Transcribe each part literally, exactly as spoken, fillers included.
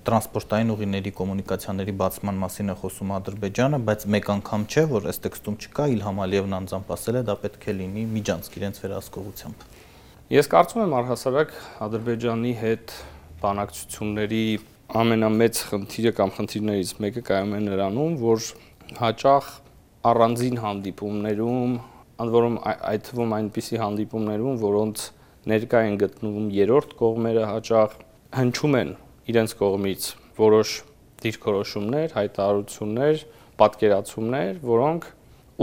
Տրանսպորտային ուղիների կոմունիկացիաների բացման մասին է խոսում Ադրբեջանը, բայց մեկ անգամ չէ, որ այս տեքստում չկա, Իլհամ Ալիևն անձամբ ասել է, դա պետք է լինի միջանցք իրենց վերահսկողությամբ։ Ես կարծում եմ առհասարակ Ադրբեջանի հետ բանակցությունների ամենամեծ խնդիրը կամ խնդիրներից մեկը կայանում է նրանում, որ հաճախ առանձին հանդիպումներում, ընդ որում այդ թվում այնպիսի հանդիպումներում, որոնց ներկա են գտնվում երրորդ կողմերը, հաճախ հնչում են իրենց կողմից որոշ դիրքորոշումներ, հայտարարություններ, պատկերացումներ, որոնք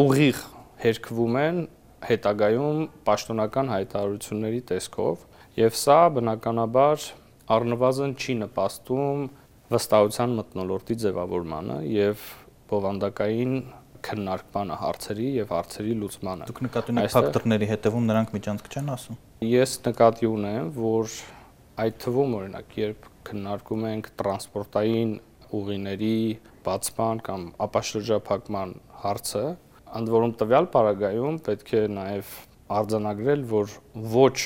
ուղիղ հերքվում են հետագայում պաշտոնական հայտարարությունների տեսքով, եւ սա բնականաբար առնվազն չի նպաստում վստահության մթնոլորտի ձևավորմանը եւ բովանդակային քննարկմանը հարցերի եւ հարցերի լուծմանը։ Դուք նկատի ունեք ֆակտորների հետևում նրանք միջանցք չեն ասում։ Ես նկատի ունեմ, որ այդ թվում օրինակ, երբ քննարկում ենք տրանսպորտային ուղիների բացման կամ ապաշրջափակման հարցը, ընդ որում տվյալ պարագայում պետք է նաև արձանագրել, որ ոչ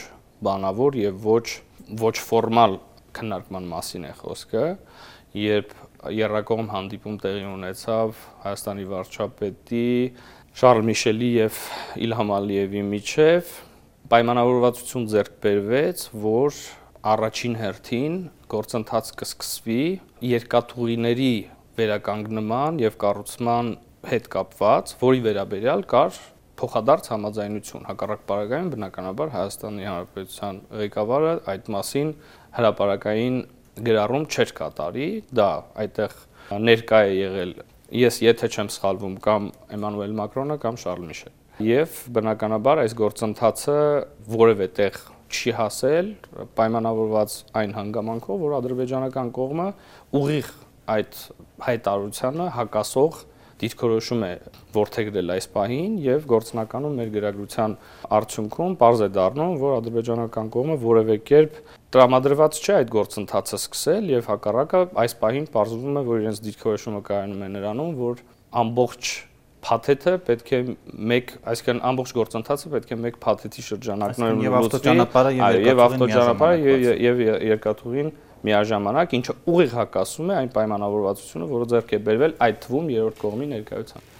բանավոր եւ ոչ ոչ ֆորմալ քննարկման մասին է խոսքը, երբ եռակողմ հանդիպում տեղի ունեցավ Հայաստանի վարչապետի, Շարլ Միշելի եւ Իլհամ Ալիևի միջեւ, պայմանավորվածություն ձեռք բերվեց, որ առաջին հերթին գործընթաց կսկսվի երկաթուղիների վերականգնման եւ կառուցման հետ կապված, որի վերաբերյալ կար փոխադարձ համաձայնություն, հակառակ պարագայում բնականաբար Հայաստանի Հանրապետության ղեկավարը այդ մասին հրապարակային գրառում չէր կատարի, դա այդտեղ ներկա է եղել, ես եթե չեմ սխալվում, կամ Էմանուել Մակրոնը կամ Շարլ Միշելը, եւ բնականաբար այս գործընթացը որևէ տեղ չի հասել, պայմանավորված այն հանգամանքով, որ ադրբեջանական կողմը ուղիղ այդ հայտարարությանը հակասող դիրքորոշում է որդեգրել այս պահին եւ գործնականում մեր գրագրության արդյունքում պարզ է դառնում, որ ադրբեջանական կողմը որևէ կերպ տրամադրված չէ այդ գործընթացը սկսել եւ հակառակը այս պահին պարզվում է, որ իրենց դիրքորոշումը կայանում է նրանում, որ ամբողջ փաթեթը պետք է մեկ, այսինքն ամբողջ գործընթացը պետք է մեկ փաթեթի շրջանակներում եւ ավտոճանապարհը եւ ավտոճանապարհը եւ երկաթուղին միաժամանակ, ինչը ուղիղ հակասում է այն պայմանավորվածությունը, որը ձեռք է բերվել այդ թվում երրորդ կողմի ներկայությամբ։